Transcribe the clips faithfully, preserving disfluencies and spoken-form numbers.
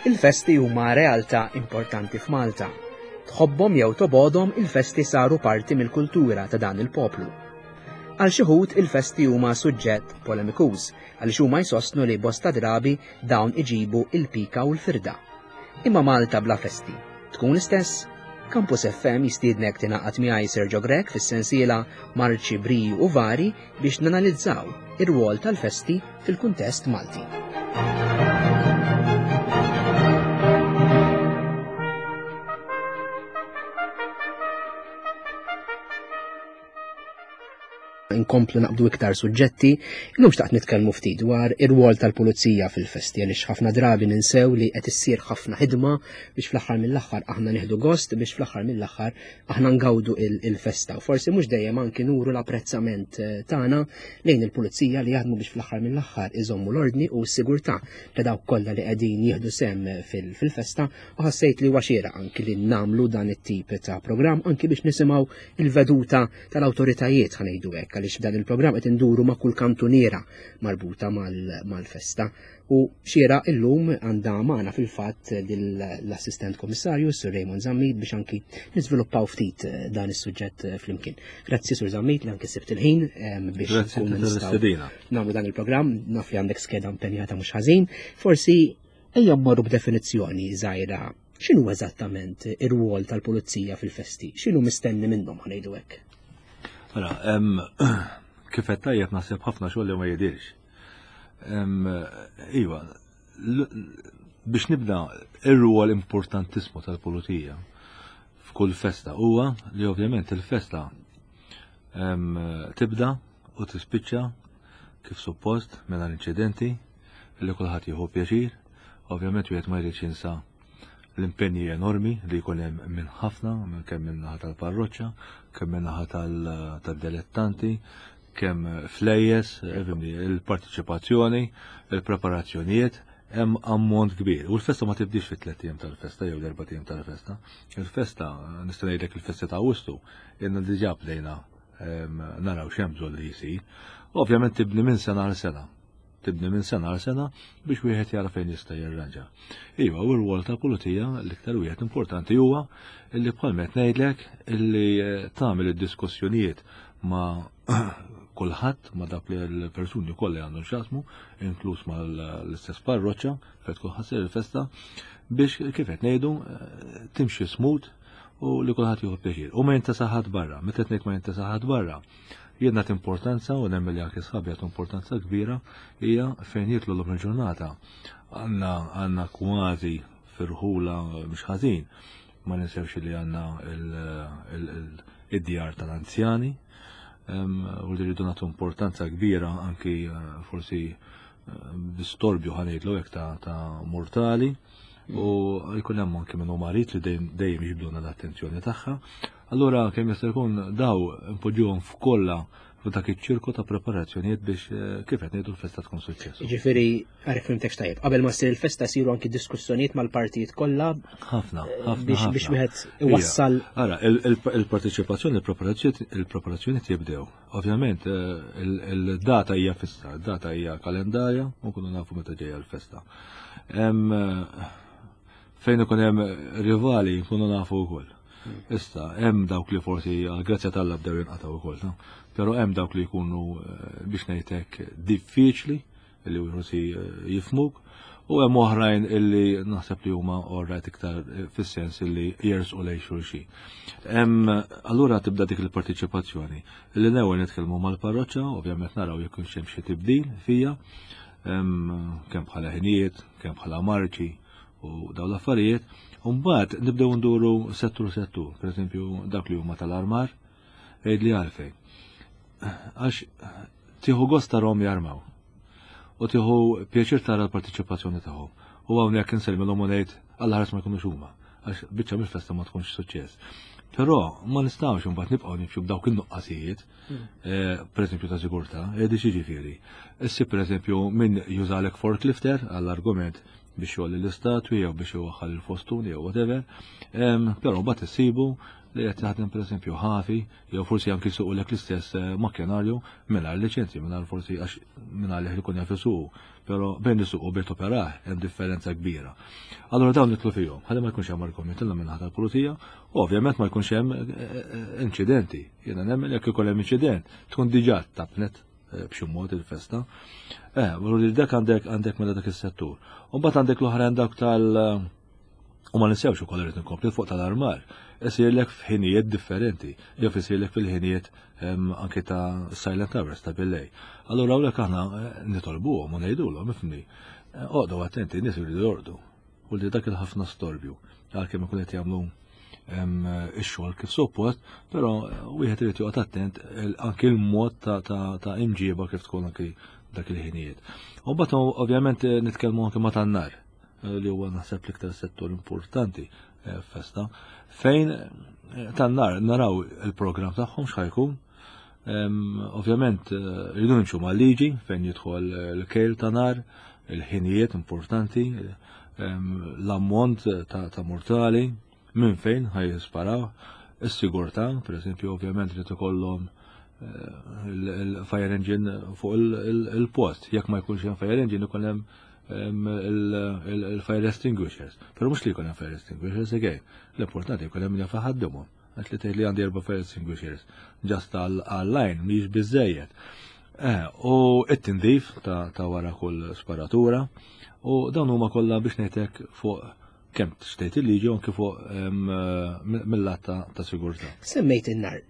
Il-festi huma realtà importanti f'Malta. Tħobbhom jew tobgħodhom, il-festi saru parti mill-kultura ta' dan il-poplu. Għal xi wħud il-festi huma suġġett polemikuż għaliex huma jsostnu li bosta drabi dawn iġibu il-pika u l-firda. Imma Malta bla festi tkun l-istess? Campus F M jistiednek tingħaqad miegħi, Sergio Grech, fis-sensiela Marċi, Briju u Vari biex nanalizzaw ir-rwol tal-festi fil-kuntest Malti. Inkomplu naqbdu iktar suġġetti, illum xtaqt nitkellmu ftit dwar ir-rwol tal-pulizija fil-festi, għaliex ħafna drabi ninsew li qed issir ħafna ħidma biex fl-aħħar mill-aħħar aħna nieħdu gost, biex fl-aħħar mill-aħħar aħna ngawdu il-festa. U forsi mhux dejjem anki nuru l-apprezzament eh, tagħna lejn il-pulizija li jaħdmu biex fl-aħħar mill-aħħar iżommu l-ordni u s-sigurtà ta' dawk kollha li qegħdin jieħdu sehem fil-festa, u ħassejt li huwa xieraq anki li nagħmlu dan it-tip ta' programm anki biex nisimgħu il-veduta tal-awtoritajiet, ħa ngħidu hekk, għaliex f'dan il-programm qed induru ma' kull kantuniera marbuta mal-festa. U xieraq illum għandna magħna fil-fatt l-assistent komissarju Sir Raymond Zammit biex anki niżviluppaw ftit eh, dan is-suġġett eh, flimkien. Grazzi, Sur Zammit, li anki sibt il-ħin biex nagħmlu dan il-programm, naf li għandek skeda impenjata mhux ħażin. Forsi ejja mmorru b'definizzjoni żgħira: x'inhu eżattament ir-rwol tal-pulizija fil-festi? X'inhu mistenni minnhom, ħa ngħidu hekk? Mela, kif qed tajjeb, naħseb ħafna xogħol li ma jidirx. Iva, biex nibda, ir-rwol importantissimu tal-pulizija f'kull festa huwa li ovvjament il-festa tibda u tispiċċa kif suppost mela inċidenti, li kulħadd jieħu pjaċir. Ovvjament wieħed ma jridx jinsa l-impenji enormi li jkun hemm minn ħafna, minn kemm minn naħa tal-parroċċa, kemm minn naħa tal-dilettanti, kemm flejjes, il-partiċipazzjoni, il-preparazzjonijiet, hemm ammont kbir. U l-festa ma tibdix fit tliet ijiem tal-festa jew l-erba' ijiem tal-festa. Il-festa, nista' ngħidlek, il-festa ta' Awwissu, ilna diġà bdejna naraw x'hemm bżonn li jsir. Ovvjament tibni minn sena għal sena. Tibni minn sena għal sena biex wieħed jara fejn jista' jirranġa. Iva, u r-rwol tal-pulizija l-iktar wieħed importanti huwa illi, bħalma qed ngħidlek, illi eh, tagħmel id-diskussjonijiet ma' kulħadd, ma' dak li l-persuni kollha għandhom x'jaqsmu, inkluż mal-istess parroċċa fejn tkun ħa ssir il-festa, biex, kif qed ngħidu, eh, timxi smooth u li kulħadd jieħu pjaċir. U ma jintesa ħadd barra, meta ngħid ma jintesa ħadd barra, jien nagħti importanza u nemmen li anke sħabi jagħtu importanza kbira hija fejn jidħlu l il-ġurnata. Għandna għandna kważi firħula mhux ħażin, ma ninsewx li għandna id-djar tal-anzjani, u li rridu nagħtu importanza kbira anki eh, forsi eh, distorbju, ħa ngħidlu hekk, ta' mortali u jkun hemm anki minnu marit li dejjem jiġbduna l-attenzjoni tagħha. Allura kemm jista' jkun daw npoġġuhom f'kollha f'dak iċ-ċirku ta' preparazzjonijiet biex eh, kif qed ngħidu, l-festa tkun suċċess. Ġifieri, għarif fhimtek tajjeb, qabel ma ssir il-festa siru anki diskussjonijiet mal-partijiet kollha Ħafna, ħafna. biex biex wieħed iwassal. Ara, il-parteċipazzjoni, il-preparazzjoni tibdew. Ovvjament, eh, il-data hija fissa, il-data hija kalendarja, u nkunu nafu meta ġejja l-festa. Eh, fejn ikun hemm rivali nkunu nafu wkoll. Issa, hemm dawk li forsi għal grazzja t'Alla bdew jinqataw ukoll, no? Però hemm dawk li jkunu eh, biex ngħidlek diffiċli li forsi eh, jifhmuk u hemm oħrajn illi naħseb li huma orrajt iktar eh, fis-sens illi jersqu lejn xulxin. Hemm allura tibda dik il-partiċipazzjoni. Illi l-ewwel nitkellmu mal-parroċċa, ovvjament naraw jekk hemm xi tibdil fija, kemm bħala ħinijiet, kemm bħala marċi u daw l-affarijiet. Mbagħad nibdew nduru settur settur, per eżempju dak li huma tal-armar, għidli għalfejn. Għax tieħu gost tarahom jarmaw. U tieħu pjaċir tara l-partiċipazzjoni tagħhom. U hawnhekk insellmilhom u ngħid Alla ħares ma jkunux huma. Għax biċċa mill-festa ma tkunx suċċess. Però ma nistgħux imbagħad nibqgħu nimxu b'dawk in-nuqqasijiet, hmm. eh, per eżempju ta' sigurtà, edi ġifieri. Issi, per eżempju, min jużalek forklifter għall-argument biex jgħolli l-istatwi jew biex iwaħħal il-fostuni jew whatever, però mbagħad issibu li qed jaħdem pereżempju ħafi, jew forsi anki jsuqulek l-istess eh, makkinarju mingħajr liċenzji, mingħajr forsi għax mingħajr li jkun jaf isuqu, però bejn isuqu bejn toperah hemm differenza kbira. Allura dawn nidħlu fihom, ħalli ma jkunx hemm argument illa minn tal-pulizija, u ovvjament ma jkunx hemm eh, eh, inċidenti. Jiena nemmen jekk ikun hemm inċident, tkun diġà tapnet b'xi mod il-festa. Eh, li dak għandek għandek mela dak is-settur. U mbagħad għandek l-oħrajn dak tal- U ma ninsewx ukoll irid inkompli fuq tal-armar. Isirlek f'ħinijiet differenti, jew isirlek fil-ħinijiet anke ta' silent hours ta' billejl. Allura hawnhekk aħna eh, nitolbuhom u ngħidulhom ifni. Eh, oqgħodu attenti, nies iridu jorqdu. U li dak il-ħafna storbju, għalkemm ikun qed jagħmlu ix-xogħol kif suppost, però eh, wieħed irid joqgħod attent anke l-mod ta' imġieba kif tkun anke dak il-ħinijiet. U mbagħad ovvjament nitkellmu anke ma' tan-nar li huwa naħseb l-iktar settur importanti eh, festa, fejn eh, tan-nar naraw il-programm tagħhom x'ħajkun. Ovvjament eh, rridu nimxu mal-liġi fejn jidħol l-kejl ta' nar, il-ħinijiet importanti, l-ammont ta' mortali, minn fejn ħaj jisparaw, is-sigurtà, per eżempju, ovvjament li ikollhom il-fire engine fuq il-post. Jekk ma jkunx hemm fire engine ikun hemm il-fire extinguishers. Pero mhux li jkun hemm fire extinguishers again. L-importanti jkun hemm min ħaddimhom. Għax li tgħid li għandi erba' fire extinguishers. Just għall-line mhix biżejjed. Eh, u it-tindif ta' wara kull sparatura u dawn huma kollha biex ngħidlek fuq kemm xtejt il-liġi u anke fuq mill-lat ta' sigurtà. Semmejt in-nar,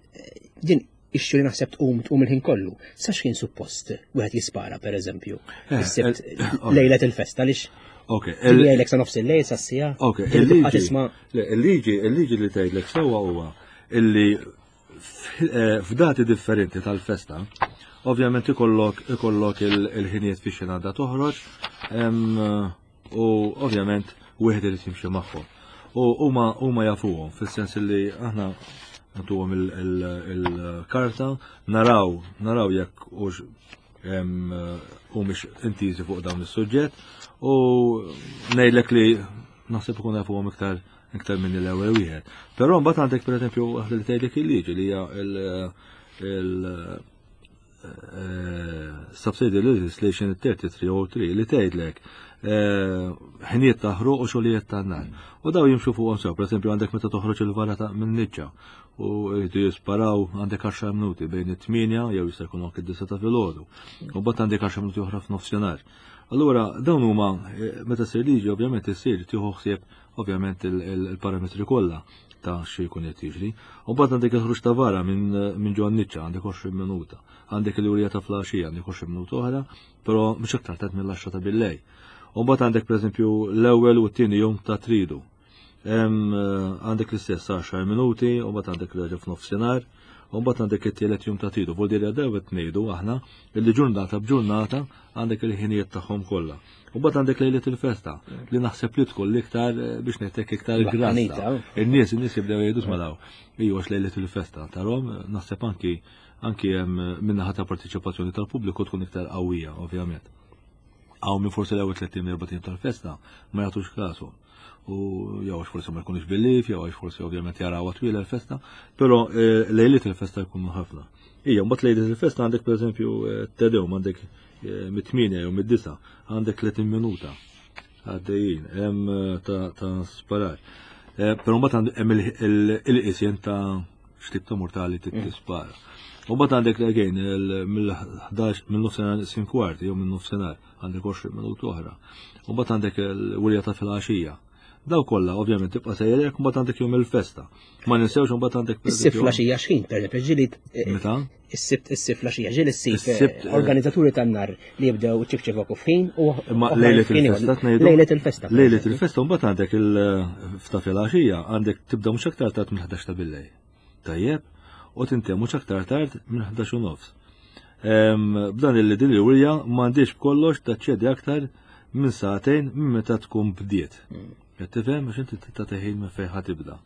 din issue li naħseb tqum tqum il-ħin kollu. Sa x'kien suppost wieħed jispara pereżempju? Eh, Is-Sibt eh, lejlet il-festa għaliex Ok, jgħidlek sa nofs il-lejl sa siegħa. Ok, il-liġi. Il-liġi, il-liġi li tgħidlek sewwa huwa illi eh, f'dati differenti tal-festa, ovvjament ikollok ikollok il-ħinijiet fi xina da toħroġ, u ovvjament wieħed irid jimxi magħhom. U huma huma jafuhom fis-sens li aħna nagħtuhom il-karta, naraw naraw jekk hux humiex intiżi fuq dawn is-suġġett u ngħidlek li naħseb ikun jafuhom iktar iktar minn l-ewwel wieħed. Però mbagħad għandek pereżempju waħda li tgħidlek il-liġi li hija il- Subsidy Legislation tlieta u tletin zero tlieta li tgħidlek ħinijiet ta' ħruq u xogħlijiet ta' nar. U daw jimxu fuqhom sew, pereżempju għandek meta toħroġ il-vara ta' minn niċċa u jridu jisparaw għandek għaxar minuti bejn it-tmienja jew jista' jkun anke d-disgħa ta' filgħodu. U mbagħad għandek għaxar minuti oħra f'nofsinhar. Allura dawn huma meta ssir liġi ovvjament issir tieħu ħsieb ovvjament il-parametri kollha ta' xi jkun qed jiġri. U mbagħad għandek il-ħruġ ta' vara minn ġo niċċa għandek għoxrin minuta. Għandek il-wirja ta' filgħaxija għandek għoxrin minuta oħra, però mhux aktar tard mill-għaxra ta' billejl. U mbagħad għandek pereżempju l-ewwel u t-tieni jum ta' tridu. Għandek l-istess għaxar minuti, u mbagħad għandek l f'nofsinhar, u mbagħad għandek it-tielet jum ta' tridu. Vuol dire għadaw qed ngħidu aħna illi ġurnata b'ġurnata għandek il-ħinijiet tagħhom kollha. U mbagħad għandek lejlet il-festa li naħseb li tkun l-iktar biex ngħidlek iktar grassa. In-nies in-nies jibdew jgħidu smalaw. Iju għax lejlet il-festa tarhom naħseb anki anki hemm minnaħa ta' partiċipazzjoni tal-pubbliku tkun iktar qawwija, ovvjament. Hawn minn forsi l-ewwel tliet erba' tal-festa ma jagħtux kasu. U jew għax forsi ma jkunux bil-lif, jew għax forsi ovvjament jaraw twila l-festa, però eh, lejliet il-festa jkunu ħafna. Ija, mbagħad lejliet il-festa għandek pereżempju eh, Te Deum għandek eh, mit-tmienja jew mid-disa għandek tletin minuta għaddejjin, hemm ta' ta' sparar. Però mbagħad hemm il-qisien ta' x'tip ta' mortali tispara. U mbagħad għandek again mill-ħdax mill-nofsinhar neqsin kwart jew minn nofsinhar għandek għoxrin minuta oħra. U mbagħad għandek il-wirja ta' filgħaxija. Daw kollha ovvjament tibqa' sejrek mbagħad għandek jum il-festa. Ma ninsewx mbagħad għandek Is-Sibt filgħaxija x'ħin per ġieli Meta? Is-Sibt is-Sibt filgħaxija ġieli is-Sibt organizzaturi tan-nar li jibdew ċifċifok f'ħin u Imma lejlet il-festa tnejdu. Lejlet il-festa. Lejlet il-festa mbagħad għandek il-fta filgħaxija għandek tibda mhux aktar tard minn ħdax ta' billejl. Tajjeb, u tintemm mhux aktar tard minn ħdax u nofs. B'dan il din il-wirja m'għandix b'kollox taċċedi aktar minn sagħtejn minn meta tkun bdiet. Qed tifhem għax inti tagħti ħin minn fejn ħa tibda.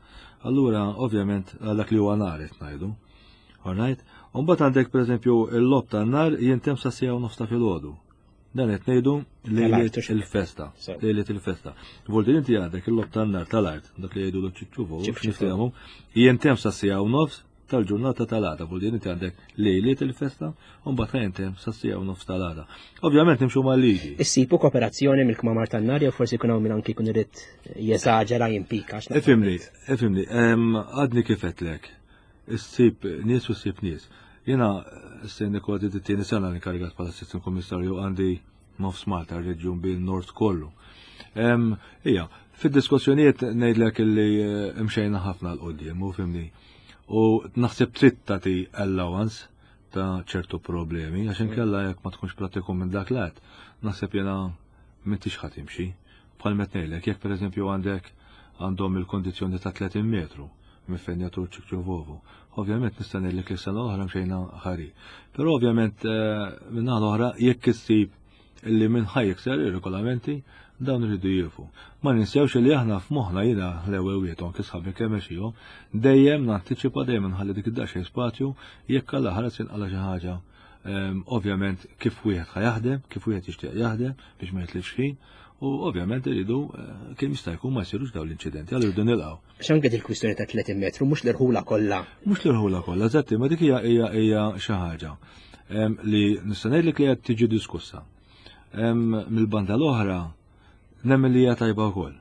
Allura ovvjament għal dak li huwa nar qed ngħidu. Alright? U mbagħad għandek pereżempju il-logħob tan-nar jintemm sa siegħa u nofs ta' filgħodu. Dan qed ngħidu lejliet il-festa. Lejliet il-festa. Vuol inti għandek il-logħob tan-nar tal-art, dak li jgħidu l-ċiċċuvu, niftehmu, jintemm sa siegħa u nofs tal-ġurnata tal-għada, vuol inti għandek lejliet il-festa, u mbagħad jintemm sa siegħa u nofs tal-għada. Ovvjament nimxu mal-liġi. Issibu kooperazzjoni mill-kmamar tan-nar jew forsi jkun hawn min anki jkun irid jeżaġera jimpika. Ifhimni, ifhimni, għadni kif għedtlek. Issib nies u ssib nies. Jiena s-sena kważi t-tieni sena inkarigat bħala assistant kummissarju għandi nofs Malta, reġjun bil-Nord kollu. Ija, fid-diskussjonijiet ngħidlek illi mxejna ħafna 'l quddiem, u fhimni. U naħseb trid tagħti allowance ta' ċertu problemi, għax inkella jekk ma tkunx pratiku minn dak lat, naħseb jiena m'intix ħa timxi. Bħal met ngħidlek, jekk pereżempju għandek għandhom il-kondizzjoni ta' tletin metru minn fejn jagħtu ċikċuvovu. Ovvjament nista' ngħidlek li sena l-oħra mxejna ħari. Però ovvjament minn naħa l-oħra jekk issib illi minn ħa jikser ir-regolamenti dawn iridu jieqfu. Ma ninsewx li aħna f'moħħna jiena l-ewwel wieħed anke sħabi kemm mexihom, dejjem nantiċipa dejjem nħalli dik id-daqsxejn spazju jekk alla ħares inqala xi ħaġa. Ovvjament kif wieħed ħa jaħdem, kif wieħed jixtieq jaħdem biex ma jitlifx ħin, u ovvjament iridu kemm jista' jkun ma jsirux dawn l-inċidenti, allura rridu nilqgħu. X'anke il-kwistjoni ta' tletin metru, mhux l-irħula kollha. Mhux l-irħula kollha, eżatti, ma dik hija hija hija xi ħaġa li nista' ngħidlek li qed tiġi diskussa. Mill-banda l-oħra nemmen li hija tajba wkoll.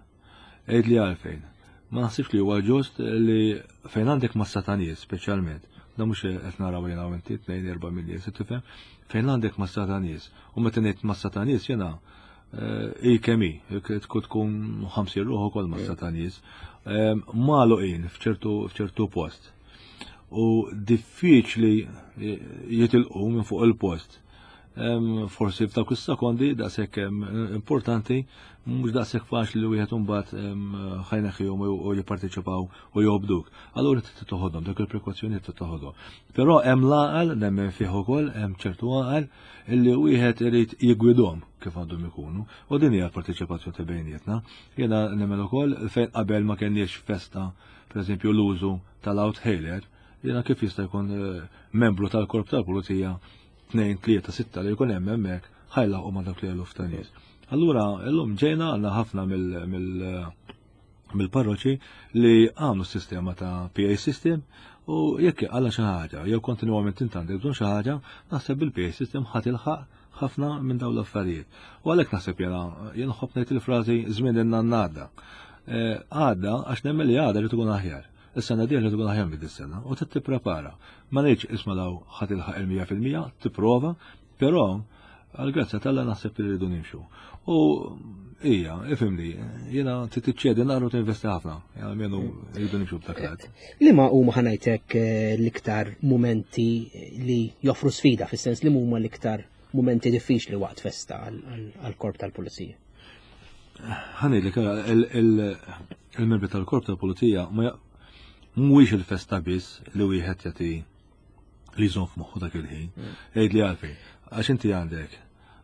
Għid li għalfejn. Ma naħsibx li huwa ġust li fejn għandek massa ta' nies speċjalment, da mhux qed naraw jiena u inti tnejn erba' minn nies, tifhem? Fejn għandek massa ta' nies. U meta ngħid massa ta' nies jiena i kemm hi, tkun tkun ħamsin ruħ ukoll massa ta' nies, magħluqin f'ċertu f'ċertu post. U diffiċli jitilqu minn fuq il-post. Forsi f'dawk is-sekondi daqshekk importanti, mhux daqshekk faċli li wieħed imbagħad ħa jneħħihom u jipparteċipaw u jobduk. Allura trid toħodhom, dak il-prekawzjonijiet trid toħodhom. Però hemm l-għaqal, nemmen fih ukoll, hemm ċertu għaqal illi wieħed irid jigwidhom kif għandhom ikunu. U din hija l-parteċipazzjoni ta' bejnietna. Jiena nemmen ukoll fejn qabel ma kenniex festa, pereżempju l-użu tal-outhailer, jiena kif jista' jkun membru tal-korp tal-pulizija tnejn, tlieta, sitta li jkun hemm hemmhekk ħajlaqgħu ma' dak li eluf ta' nies. Allura llum ġejna għandna ħafna mill-parroċi li għamlu sistema ta' P A system u jekk għalla xi ħaġa jew kontinwament int għandek bżonn xi ħaġa, naħseb bil-P A system ħa tilħaq ħafna minn dawn l-affarijiet. U għalhekk naħseb jiena jien nħobb ngħid il-frażi żmien in-nannada. Għadda għax nemmen li għadha li tkun aħjar. Is-sena dieħla tkun aħjar minn dis-sena u trid tipprepara. Ma ngħidx isma' daw ħa tilħaq il-mija fil-mija, tipprova, però għall-grazzja t'Alla naħseb li rridu nimxu. U hija, ifhimni, jiena trid tiċċedi naqra u tinvesti ħafna, almenu rridu nimxu b'dak l-għad. Liema huma ħa ngħidlek l-iktar mumenti li joffru sfida, fis-sens li huma l-iktar mumenti diffiċli waqt festa għall-korp tal-pulizija? Ħa ngħidlek, il-membri tal-korp tal-pulizija ma mhuwiex il-festa biss li wieħed jagħti li jżomm f'moħħu dak il-ħin. Għid li għalfejn, għax inti għandek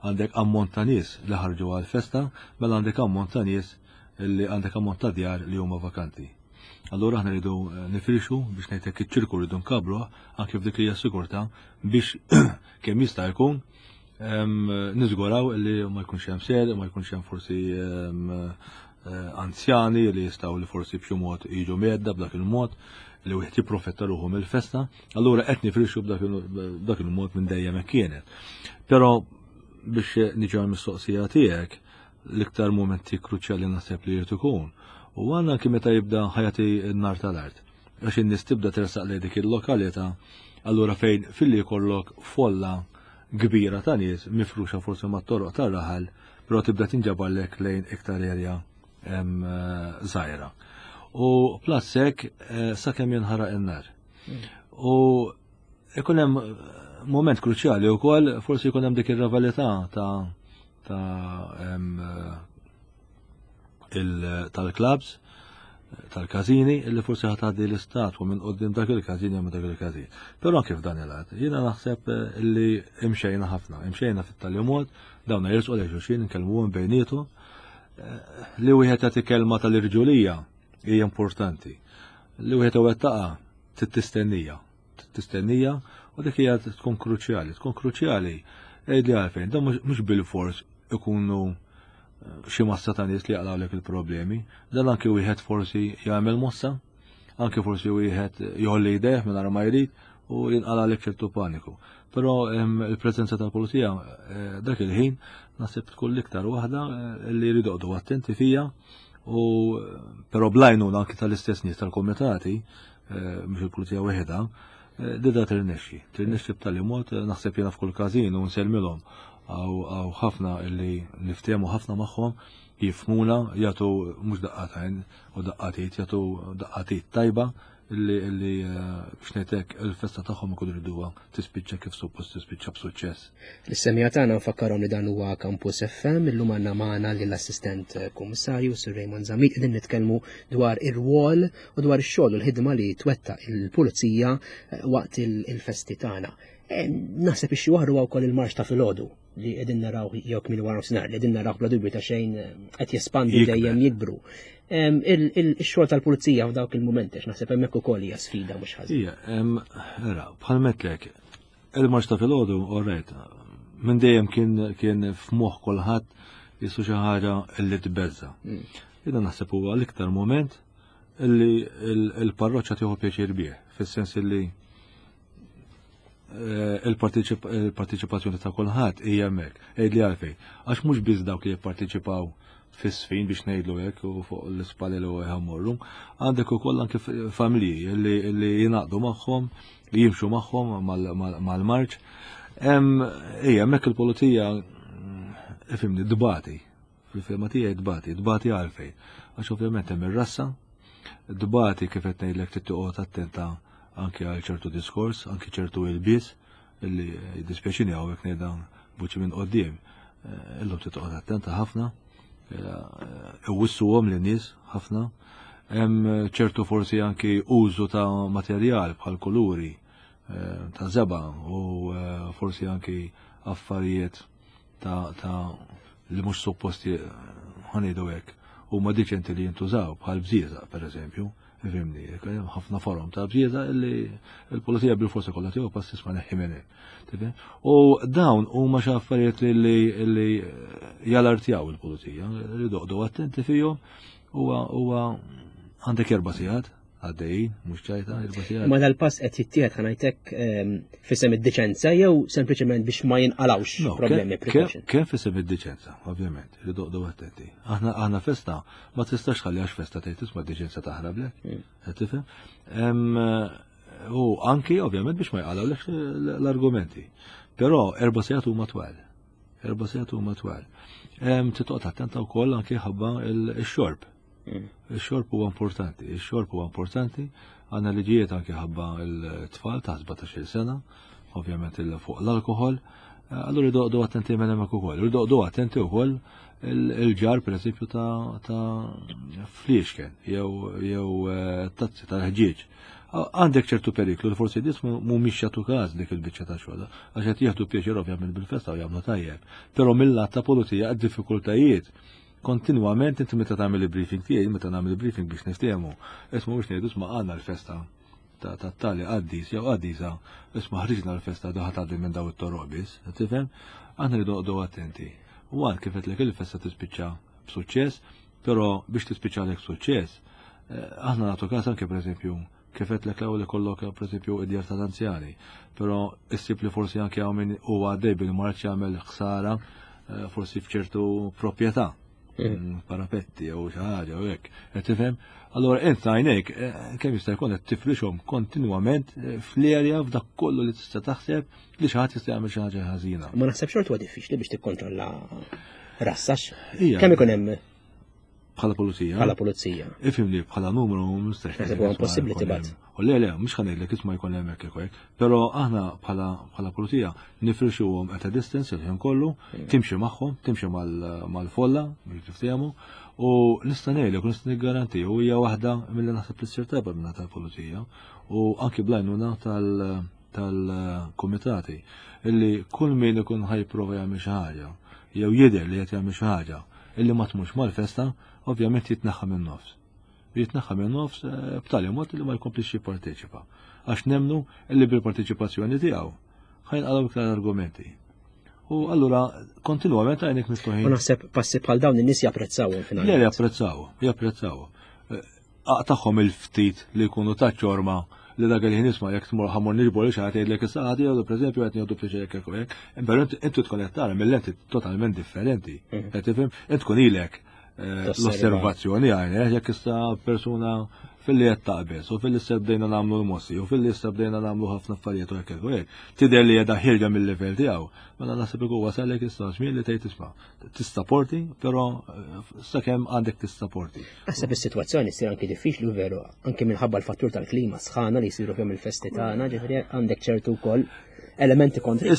għandek ammont ta' nies li ħarġu għal-festa, mela għandek ammont ta' nies li għandek ammont ta' djar li huma vakanti. Allura aħna rridu nifrixu biex ngħidlek iċ-ċirku rridu nkabru anke f'dik li hija sigurtà biex kemm jista' jkun niżguraw li ma jkunx hemm ser, ma jkunx hemm forsi anzjani li jistgħu li forsi b'xi mod jiġu medda b'dak il-mod li wieħed jipprofetta ruħu mill-festa, allura qed nifrixu b'dak il-mod minn dejjem hekk kienet. Però biex niġu għall-mistoqsija tiegħek, l-iktar momenti kruċjali naħseb li jrid ikun. U għandna anke meta jibda ħajati n-nar tal-art. Għax in-nies tibda tersaq lejn dik il-lokalità, allura fejn filli jkollok folla kbira ta' nies mifruxa forsi mat-toroq tar-raħal, però tibda tinġabarlek lejn iktar erja żgħira. U plus hekk sakemm jinħaraq in-nar. U ikun hemm moment kruċjali wkoll forsi jkun hemm dik ir-rivalità ta' ta' tal-clubs, tal-każini, illi forsi ħa tgħaddi l-istatwa minn quddiem dak il-każin jew dak il-każin. Però anke f'dan il-għad, jiena naħseb illi imxejna ħafna, imxejna fit-tali mod, dawn jersqu lejn xulxin, nkellmuhom bejnietu, li wieħed jagħti kelma tal-irġulija hija importanti. Li wieħed iwettaqa trid tistennija, trid tistennija u dik hija tkun kruċjali, tkun kruċjali Għidli għalfejn, dan mhux bil-fors ikunu xi massa ta' nies li jaqlawlek il-problemi, dan anke wieħed forsi jagħmel mossa, anke forsi wieħed jgħolli jdejh mingħajr ma jrid u jinqalgħalek ċertu paniku. Però il-preżenza tal-pulizija dak il-ħin naħseb tkun l-iktar waħda li jridu joqogħdu attenti fija u però bl-għajnuna anke tal-istess nies tal-komitati, mhux il-pulizija waħedha, di da tirnexxi. Tirnexxi b'tali mod naħseb jiena f'kull każin u nsellmilhom għaw ħafna illi niftehmu ħafna magħhom, jifhmuna, jagħtu mhux daqqatajn u daqqatit, jagħtu daqqatit tajba illi illi biex ngħidlek il-festa tagħhom ikunu jriduha tispiċċa kif suppost tispiċċa b'suċċess. Lis-semmiegħa tagħna nfakkarhom li dan huwa Campus F M, illum għandna magħna lill-Assistent Kummissarju Sir Raymond Zammit, qegħdin nitkellmu dwar ir-rwol u dwar ix-xogħol u l-ħidma li twettaq il-pulizija waqt il-festi tagħna. Naħseb ix waħdu wkoll il-marx ta' filgħodu li qegħdin naraw jew kmieni wara nofsinhar li qegħdin naraw bla dubju ta' xejn qed jespandu dejjem jikbru. Ix-xogħol tal-pulizija f'dawk il-mumenti għax naħseb hemmhekk ukoll hija sfida mhux ħażin. Ija, era, bħal metlek, il-marx ta' filgħodu, alright, minn dejjem kien kien f'moħħ kulħadd jisu xi ħaġa li tbeżza. Jiena naħseb huwa l-iktar moment illi il-parroċċa tieħu pjaċir bih, fis-sens illi il-partiċipazzjoni ta' kulħadd hija hemmhekk. Għidli għalfejn. Għax mhux biss dawk li jipparteċipaw fis-sfin biex ngħidlu hekk u fuq l-ispalel u jħammorru, għandek ukoll anke familji li jingħaqdu magħhom, li jimxu magħhom mal-marċ. Ija, hemmhekk il-pulizija ifhimni dbati. Fil-fehma tiegħi dbati, dbati għalfejn. Għax ovvjament hemm ir-rassa, dbati kif qed ngħidlek trid toqgħod attenta anke għal ċertu diskors, anke ċertu ilbies, illi jiddispjaċini hawnhekk ngħidha buċi minn qoddim. Illum trid toqgħod attenta ħafna, iwissuhom lin-nies ħafna. Hemm ċertu forsi anki użu ta' materjal bħal kuluri ta' żebgħa u forsi anki affarijiet ta' li mhux supposti ħa ngħidu hekk huma diċenti li jintużaw bħal bżieżaq pereżempju. Ifhimni, ħafna forom ta' bżieżaq illi l-pulizija bil-forsa kollha tiegħu pass isma' neħħi minn hemm. U dawn huma xi affarijiet li li jalartjaw il-pulizija, li doqdu attenti fihom huwa huwa għandek erba' sigħat għaddejjin, mhux ċajta, erba' sigħat. Ma dal-pass qed jittieħed ħa ngħidlek f'isem id-diċenza jew sempliċement biex ma jinqalawx problemi, precaution? Kemm f'isem id-diċenza, ovvjament, li doqdu attenti. Aħna aħna festa ma tistax tħalli għax festa tgħid isma' d-diċenza taħrablek. Qed tifhem? U anki ovvjament biex ma jqalawlek l-argumenti. Però erba' sigħat huma twal. Erba' sigħat huma twal. Titoqgħod attenta wkoll anki ħabba x-xorb. Ix-xorb huwa importanti, ix-xorb huwa importanti, għandna liġijiet anke ħabba l-tfal ta' sbatax-il sena, ovvjament fuq l-alkohol, allura jdoqdu attenti minn hemmhekk ukoll. Jdoqdu attenti wkoll il-ġar pereżempju ta' fliexken jew jew tazzi tal-ħġieġ. Għandek ċertu periklu li forsi nies mhumiex jagħtu każ dik il-biċċa ta' xogħol, għax qed jieħdu pjaċir ovvjament bil-festa u jagħmlu tajjeb. Però mill-lat ta' pulizija għad-diffikultajiet kontinwament inti meta tagħmel il-briefing tiegħi, meta nagħmel il-briefing biex niftehmu, isma' mhux ngħidu isma' għandna l-festa ta' tali qaddis jew qaddisa, isma' ħriġna l-festa daħat tgħaddi minn daw it-toroq biss, tifhem? Aħna rridu noqogħdu attenti. U għal kif qedlek il-festa tispiċċa b'suċċess, però biex tispiċċa lek suċċess, aħna nagħtu każ anke pereżempju kif qedlek l-ewwel ikollok pereżempju id-djar tal-anzjani, però issib li forsi anke hawn min huwa għaddej bil-marċ jagħmel ħsara forsi f'ċertu proprjetà. Parapetti jew xi ħaġa u hekk. Qed tifhem? Allura int għajnejk kemm jista' jkun qed tifrixhom kontinwament fl-erja f'dak kollu li tista' taħseb li xi ħadd jista' jagħmel xi ħaġa ħażina. Ma naħseb xorta huwa diffiċli biex tikkontrolla rassax. Kemm ikun hemm Bħala pulizija? Bħala pulizija. Ifhimni, bħala numru mistax. Naħseb huwa impossibbli tibgħat. U le, le, mhux ħa ngħidlek isma' jkun hemm hekk hekk, però aħna bħala bħala pulizija nifrixuhom at a distance il-ħin kollu, timxi magħhom, timxi mal-folla biex tiftehmu, u nista' ngħidlek u nista' niggaranti u hija waħda milli naħseb li ssir tajba minn tal-pulizija u anki bl-għajnuna tal-kumitati illi kull min ikun ħajprova jagħmel xi ħaġa jew jidher li qed jagħmel xi ħaġa illi ma tmurx mal-festa, ovvjament jitneħħa minn nofs. Jitneħħa minn nofs b'tali mod li ma jkomplix jipparteċipa. Għax nemnu illi bil-parteċipazzjoni tiegħu ħajnqalgħu iktar argumenti. U allura kontinwament għajnek miftuħin. U naħseb passi bħal dawn in-nies japprezzawhom finalment. Le, japprezzaw, japprezzaw. Tagħhom il-ftit li jkunu ta' ċorma li dak il-ħin isma' jekk tmur ħamur niġbor li xi ħadd jgħidlek issa ħadd jgħidu pereżempju qed nieħdu pjaċir hekk hekk hekk. Però inti tkun qed tara mill-lenti totalment differenti. Mhm. Qed tifhem? Int tkun ilek eh, l-osservazzjoni għajn, jekk issa persuna fil-li qed taqbeż u fil-li issa bdejna nagħmlu l-mossi u fil-li issa bdejna nagħmlu ħafna affarijiet u hekk hekk u hekk. Tidher li qiegħda ħierġa mill-livell tiegħu. Mela naħseb ikun wasalek issa żmien li tgħid isma' tissaporti, però eh, sakemm għandek tissaporti. Naħseb is-sitwazzjoni ssir anki diffiċli u veru, anki minħabba l-fattur tal-klima sħana li jsiru fihom il-festi tagħna, ġifieri għandek ċertu wkoll elementi kontrik.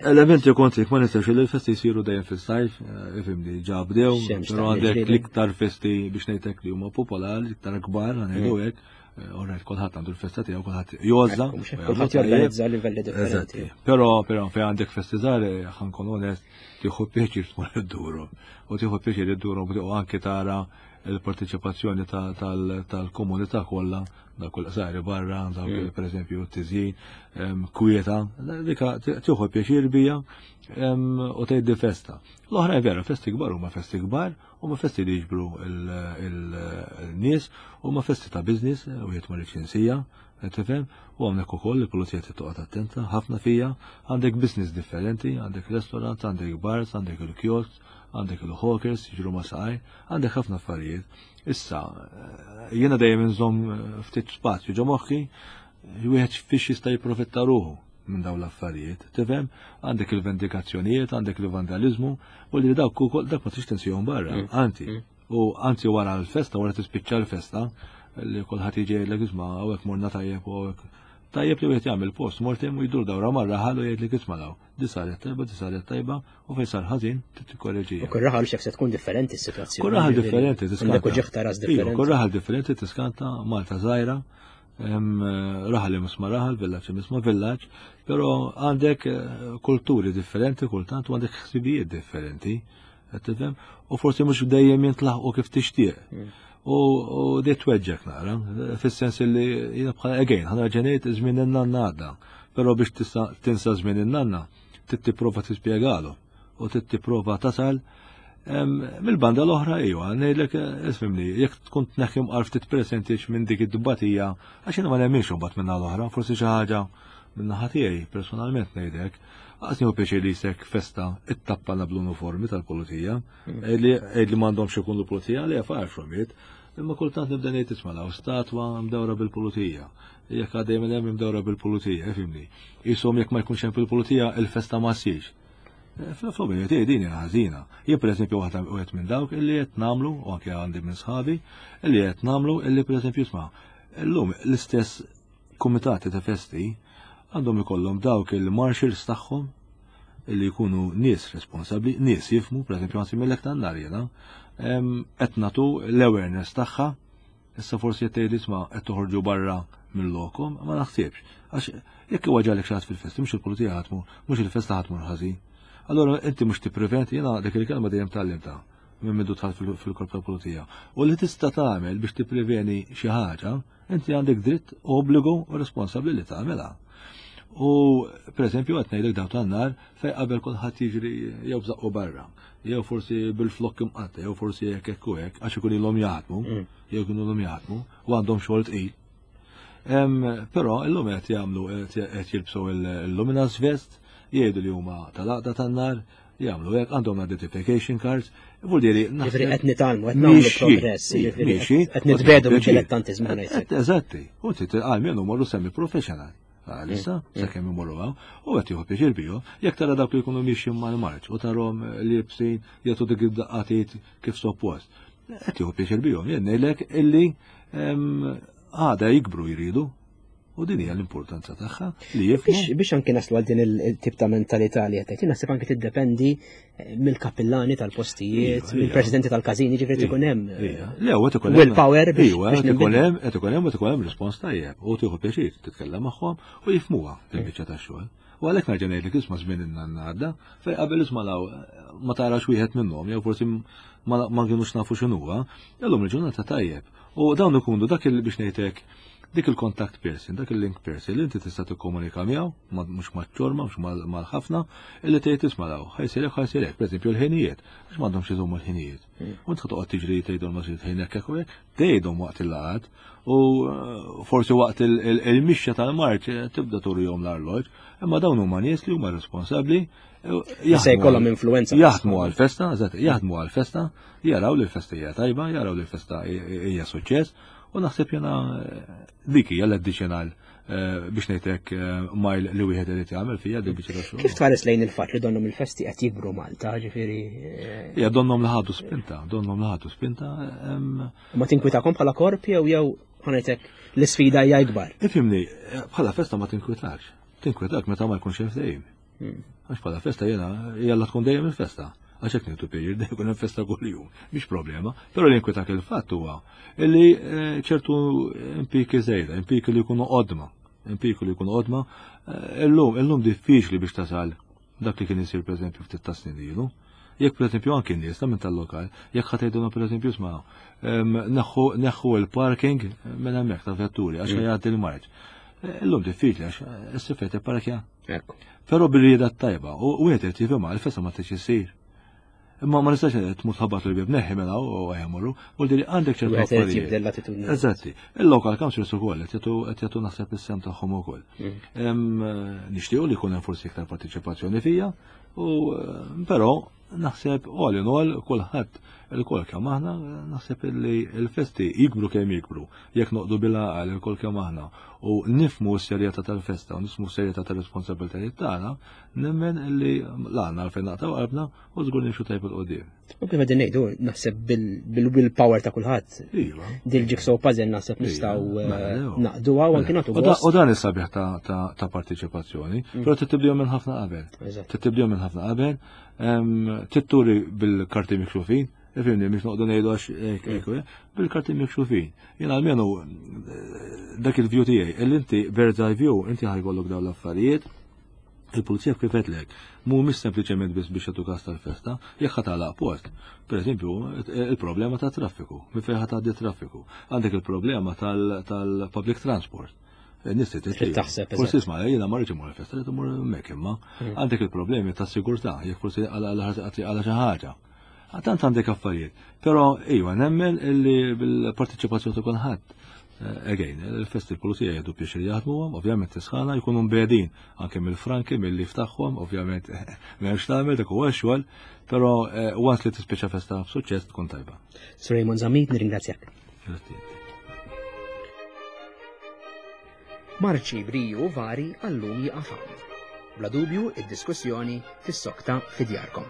Elementi kontrik, ma nistax li l-festi jsiru dejjem fis-sajf, eh, ifhimni, ġa bdew, però għandek l-iktar festi biex ngħidlek li huma popolari, l-iktar kbar, ngħidu mm. hekk. Eh, Orrejt, kulħadd għandu l-festa tiegħu, kulħadd jgħożża. Kulħadd jorganizza livelli differenti. Però però fejn għandek festi żgħar, eh, ħankun onest, tieħu pjaċir tmur idduru. U tieħu pjaċir idduru u anke tara il-parteċipazzjoni tal-komunità kollha, dak kull qsari barra, dawk mm. pereżempju t-tiżjin, kwieta, dika tieħu pjaċir bija u tgħid festa. L-oħra vera, festi kbar huma festi kbar, huma festi li jiġbru il-nies, huma festi ta' business, u jgħid ma insija, tifhem, u hawnhekk ukoll il-pulizija trid toqgħod attenta ħafna fija, għandek business differenti, għandek restaurants, għandek bars, għandek il-kiosks, għandek il-hawkers, jiġru ma' saqaj, għandek ħafna affarijiet. Issa, jiena dejjem inżomm ftit spazju ġo moħħi, wieħed fiex jista' jipprofitta ruħu minn dawn l-affarijiet. Tifhem? Għandek il-vendikazzjonijiet, għandek il-vandalizmu, u li dawk ukoll dak ma trix tinsihom barra, Mm. anzi. Mm. U anzi wara l-festa, wara tispiċċa l-festa, li kulħadd jiġi jgħidlek isma' hawnhekk morna tajjeb u hawnhekk tajjeb li wieħed jagħmel post mortem u jdur dawra marra ħalu jgħidlek isma' law. Di saret tajba, di saret tajba, u fejn sar ħażin trid tikkoreġija. U kull raħal xef se tkun differenti s-sitwazzjoni. Kull raħal differenti tiskanta. Għandek uġigħ ta' ras Iva, differenti. Kull raħal differenti tiskanta Malta żgħira, hemm raħal li misma raħal, villaġġ li misma villaġġ, però għandek eh, kulturi differenti kultant u għandek ħsibijiet differenti, qed tifhem? U forsi mhux dejjem jintlaħqu kif tixtieq. Mm. U u di tweġġek nara, fis-sens li jiena bħala again, ħa nerġa' ngħid żmien in-nanna għadda. Però biex tista' tinsa żmien in-nanna, trid tipprova tispjegalu u trid tipprova tasal Em, Mill-banda l-oħra iwa, ngħidlek eh, isfimni, jekk tkun tneħħi mqar ftit percentage minn dik id-dibatija, għax jiena ma nemminx imbagħad minna l-oħra, forsi xi ħaġa minn naħa tiegħi personalment ngħidlek. Għas nieħu pjaċir li jsek festa it-tappana bl-uniformi tal-pulizija, li li m'għandhomx ikunu pulizija li far from it, imma kultant nibda ngħid isma' law statwa mdawra bil-pulizija. Jekk għaddej minn hemm imdawra bil-pulizija, ifhimni. Ishom jekk ma jkunx hemm fil-pulizija il-festa ma ssirx. Fl-opinjoni tiegħi din hija ħażina. Jien pereżempju waħda wieħed minn dawk illi qed nagħmlu, u anke għandi minn sħabi, illi qed nagħmlu illi pereżempju isma' illum l-istess kumitati ta' festi għandhom ikollhom dawk il-marshals tagħhom illi jkunu nies responsabbli, nies jifmu, pereżempju għansi mill-ek tan-nar jiena, qed nagħtu l-awareness tagħha, issa forsi qed tgħid isma' qed toħorġu barra mill-lokom, ma naħsibx. Għax jekk iwaġġalek xi ħadd fil-festi, mhux il-pulizija ħatmu, mhux il-festa ħatmur ħażin. Allora inti mhux tippreventi, jiena dik il-kelma dejjem tgħallimtha minn mindu dħalt fil-korp tal-pulizija. U li tista' tagħmel biex tippreveni xi ħaġa, inti għandek dritt, obbligu u responsabbli li tagħmilha. U per eżempju qed ngħidlek daw tan-nar fejn qabel kulħadd jiġri jew bżaqqu barra, jew forsi bil-flokk imqatta, jew forsi hekk hekk u hekk, għax ikun ilhom jaħdmu, Mm. jew ikun ilhom jaħdmu u għandhom xogħol tqil. Em, Però illum qed jagħmlu qed jilbsu il-luminous vest, jgħidu li huma tal-għaqda tan-nar, jagħmlu hekk għandhom identification cards, vuol dire Ġifieri qed nitgħallmu, qed nagħmlu progress, ġifieri qed nitbedu mid-dilettantiżmu ngħidlek. Eżatti, u trid għal morru semi professional. Għalissa, sakemm imorru hawn, u qed jieħu pjaċir bihom, jekk tara dawk li jkunu miexjin mal-marċ u tarhom li libsin jagħtu dik id-daqqatiet kif suppost. Qed jieħu pjaċir bihom, jien ngħidlek illi em, għada jikbru jridu. U din hija l-importanza tagħha li jifhmu. Biex biex anki naslu għal din il-tip ta' mentalità li qed tgħid, naħseb anki tiddependi eh, mill-kappillani tal-postijiet, Iva, iva. mill-presidenti tal-każini, ġifieri ikun hemm. eh, Ija, Le, u qed ikun hemm. Willpower biex Iva, biex qed ikun ninbidlu. hemm, qed ikun hemm, qed ikun hemm rispons tajjeb. U tieħu pjaċir titkellem magħhom u jifhmuha il-biċċa tax-xogħol. U għalhekk nerġa' ngħidlek isma' żmien in-għadda, fejn qabel isma' law ma tarax wieħed minnhom jew forsi ma ma kienux nafu x'inhuwa, illum il-ġurnata tajjeb. U dawn ikunu dak il biex ngħidlek Dik il-contact person, dak il-link person li inti tista' tikkomunika miegħu, mhux maċ-ċorma, mhux mal-ħafna, illi tgħid isma' daw, ħa jsir hekk, ħa jsir hekk, pereżempju l-ħinijiet, għax m'għandhomx iżommu l-ħinijiet. Hmm. U int toqgħod tiġri tgħidhom ma ħin hekk hekk hekk, tgħidhom waqt il-laqgħat u eh, forsi waqt il-mixja tal-marċ eh, tibda turihom l-arloġġ, imma dawn huma nies li huma responsabbli eh, Se jkollhom influenza. Jaħdmu għal-festa, eżatt, jaħdmu għal-festa, jaraw li l-festa hija tajba, jaraw li l-festa hija suċċess, u naħseb jena dik hija l-additional eh, biex ngħidlek eh, mile li wieħed irid jagħmel fija dik biċċa xogħol. Kif tħares lejn il-fatt li donnhom il-festi qed jikbru Malta, ġifieri? Eh, ja, donnhom li ħadu spinta, donnhom li ħadu spinta. Ma tinkwitakom bħala korp jew jew ħa ngħidlek l-isfida hija ikbar? Ifhimni, bħala festa ma tinkwitax. Tinkwitak meta ma jkunx hemm ftehim. Hmm. Għax bħala festa jiena jalla tkun dejjem il-festa. Għax hekk nieħdu pjaċir dejjem hemm festa kuljum, mhix problema. Però li inkwitak il-fatt huwa illi eh, ċertu impiki żejda, impiki li jkunu qodma, impiki li jkunu qodma, eh, illum illum diffiċli biex tasal dak li kien isir pereżempju ftit ta' snin ilu. Jekk pereżempju anki n-nies ta' minn tal-lokal, jekk ħa tgħidulna pereżempju isma' neħħu il-parking minn hemmhekk ta' vetturi għax mm. jgħaddi l-marċ. Eh, illum diffiċli għax is-sifet ipparkja. Però bil-rieda tajba u wieħed irid jifhimha l-festa ma tridx issir. Imma ma nistax tmur tħabbat l-bib neħi mela u għajamurru, u li għandek ċertu affarijiet. L-attitudni. Eżatti. Il-local councils ukoll qed jagħtu naħseb is-sehem tagħhom ukoll. Mm. Nixtiequ li jkun hemm forsi iktar partiċipazzjoni fija, u però naħseb all in all kulħadd il-kol kemm aħna naħseb li l-festi jikbru kemm jikbru, jekk noqogħdu bil-għaqal il-kol kemm aħna u nifhmu s-serjetà tal-festa u nifhmu s-serjetà tal-responsabbiltajiet tagħna, nemmen li l-għandna għalfejn naqtgħu qalbna u żgur nimxu tajb 'il quddiem. U kif qegħdin ngħidu, naħseb bil-will power ta' kulħadd. Iva. Dil-jigsaw puzzle naħseb nistgħu eh, naqduha u anke nagħtu. U dan is-sabiħ ta' partiċipazzjoni, mm. però tibdew minn ħafna qabel. Tibdew minn ħafna qabel, titturi bil-karti mikxufin, Ifhimni, mhux noqogħdu ngħidu għax mm. bil-karti mikxufin. Jien almenu eh, dak il-view tiegħi, illi inti bird's eye view, inti ħa jkollok dawn l-affarijiet, il-pulizija kif għedtlek, mhumiex sempliċement biss biex jagħtu kas tal-festa, jekk ħa tagħlaq post. Per eżempju, il-problema ta' traffiku, minn fejn ħa tgħaddi traffiku. Għandek il-problema tal-public transport. Nies taħseb. Forsi isma' jiena ma rridx imur il-festa, rrid imur hemmhekk imma. Mm. Għandek il-problemi ta' sigurtà, jekk forsi għala xi ħaġa. Tant għandek affarijiet. Però iva nemmen illi bil-partiċipazzjoni ta' kulħadd Eh, again, il-festi l-pulizija jieħdu pjaċir jaħdmuhom, ovvjament tisħana jkunu mbegħdin anke mill-franki, mill-lif tagħhom, ovvjament m'hemmx tagħmel dak huwa xogħol, però eh, once li tispiċċa festa b'suċċess tkun tajba. Sir Raymond Zammit, nirringrazzjak. Marċi briju vari għallum jiqaf hawn. Bla dubju id-diskussjoni tissokta fi djarkom.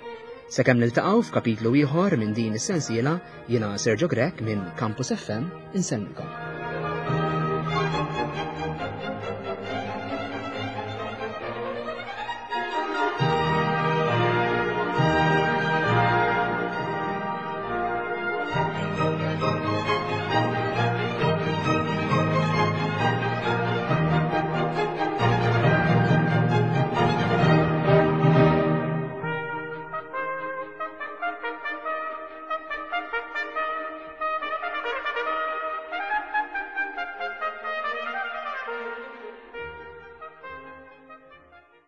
Sakemm niltaqgħu f'kapitlu ieħor minn din is-sensiela, jiena Sergio Grech minn Campus F M insellmilkom.